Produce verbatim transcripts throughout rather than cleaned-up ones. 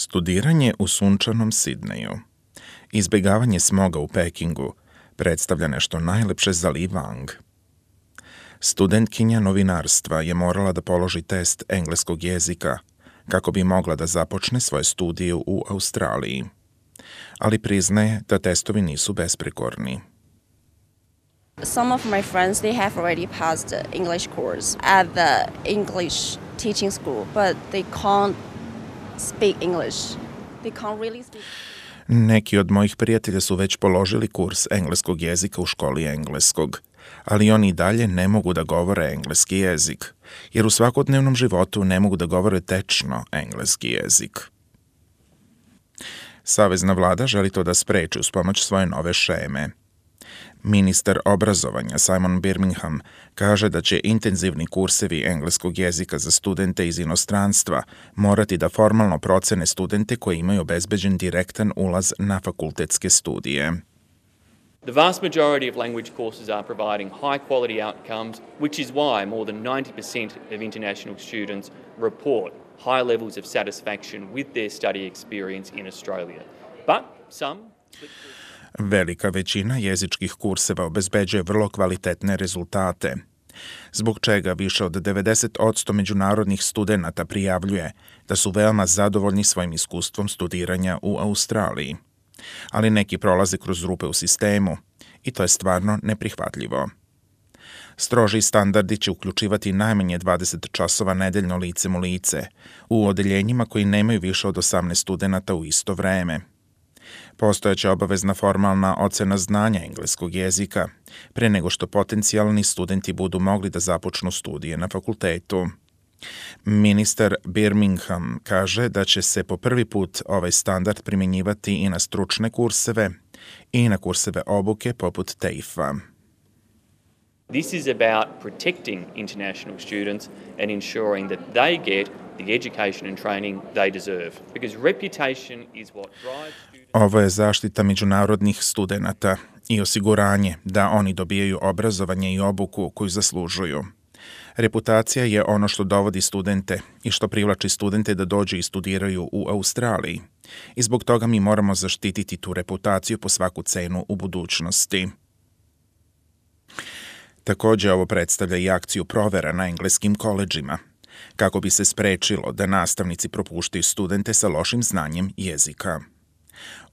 Studiranje u sunčanom Sidneju. Izbjegavanje smoga u Pekingu predstavlja nešto najlepše za Li Wang. Studentkinja novinarstva je morala da položi test engleskog jezika kako bi mogla da započne svoje studije u Australiji. Ali priznaje da testovi nisu besprekorni. Some of my friends, they have already passed the English course at the English teaching school, but they can't speak English. They can't really speak. Neki od mojih prijatelja su već položili kurs engleskog jezika u školi engleskog, ali oni i dalje ne mogu da govore engleski jezik, jer u svakodnevnom životu ne mogu da govore tečno engleski jezik. Savezna vlada želi to da spreči uz pomoć svoje nove šeme. Ministar obrazovanja Simon Birmingham kaže da će intenzivni kursevi engleskog jezika za studente iz inostranstva morati da formalno procene studente koji imaju obezbeđen direktan ulaz na fakultetske studije. The vast majority of language courses are providing high quality outcomes, which is why more than ninety percent of international students report high levels of satisfaction with their study experience in Australia. But some Velika većina jezičkih kurseva obezbeđuje vrlo kvalitetne rezultate, zbog čega više od devedeset posto međunarodnih studenata prijavljuje da su veoma zadovoljni svojim iskustvom studiranja u Australiji. Ali neki prolaze kroz rupe u sistemu i to je stvarno neprihvatljivo. Stroži standardi će uključivati najmanje dvadeset časova nedeljno licem u lice u odeljenjima koji nemaju više od osamnaest studenata u isto vreme. Postojeća obavezna formalna ocena znanja engleskog jezika pre nego što potencijalni studenti budu mogli da započnu studije na fakultetu. Ministar Birmingham kaže da će se po prvi put ovaj standard primjenjivati i na stručne kurseve i na kurseve obuke poput T E F-a. This is about protecting international students and ensuring that they get the education and training they deserve, because reputation is what drives students. Ovo je zaštita međunarodnih studenata i osiguranje da oni dobijaju obrazovanje i obuku koju zaslužuju. Reputacija je ono što dovodi studente i što privlači studente da dođu i studiraju u Australiji. I zbog toga mi moramo zaštititi tu reputaciju po svaku cenu u budućnosti. Također ovo predstavlja i akciju provera na engleskim koledžima, kako bi se sprečilo da nastavnici propuštaju studente sa lošim znanjem jezika.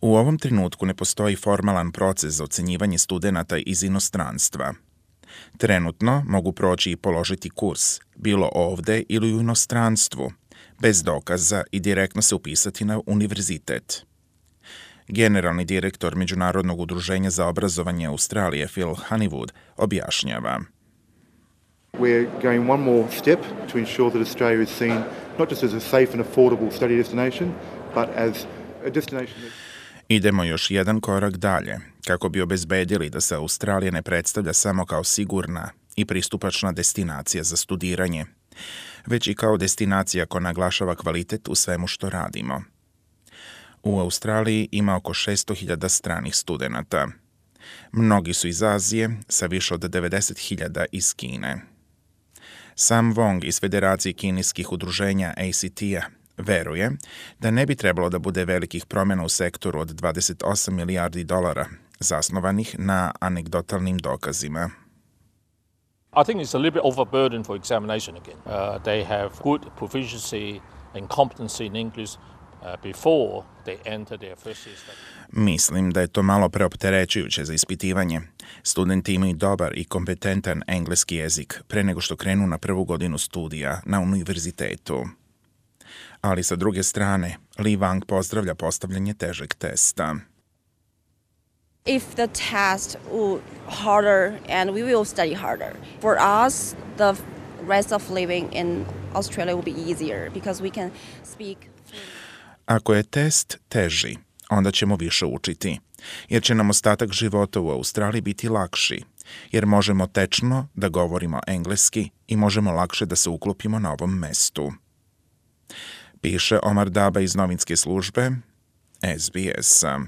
U ovom trenutku ne postoji formalan proces za ocenjivanje studenata iz inostranstva. Trenutno mogu proći i položiti kurs, bilo ovde ili u inostranstvu, bez dokaza i direktno se upisati na univerzitet. Generalni direktor Međunarodnog udruženja za obrazovanje Australije Phil Honeywood objašnjava. We're going one more step to ensure that Australia is seen not just as a safe and affordable study destination, but as a destination that... Idemo još jedan korak dalje, kako bi obezbedili da se Australija ne predstavlja samo kao sigurna i pristupačna destinacija za studiranje, već i kao destinacija koja naglašava kvalitet u svemu što radimo. U Australiji ima oko šesto hiljada stranih studenata. Mnogi su iz Azije, sa više od devedeset hiljada iz Kine. Sam Wong iz Federacije kineskih udruženja A C T-a veruje da ne bi trebalo da bude velikih promjena u sektoru od dvadeset osam milijardi dolara, zasnovanih na anegdotalnim dokazima. I think it's a little bit overburdened for examination again. Uh, they have good proficiency and competency in English uh, before they enter their first year study. Mislim da je to malo preopterećujuće za ispitivanje. Studenti imaju dobar i kompetentan engleski jezik pre nego što krenu na prvu godinu studija na univerzitetu. Ali sa druge strane, Li Wang pozdravlja postavljanje težeg testa. If the test will harder and we will study harder. For us, the rest of living in Australia will be easier because we can speak. Ako je test teži, onda ćemo više učiti, jer će nam ostatak života u Australiji biti lakši, jer možemo tečno da govorimo engleski i možemo lakše da se uklopimo na ovom mestu. Piše Omar Daba iz novinske službe S B S-a.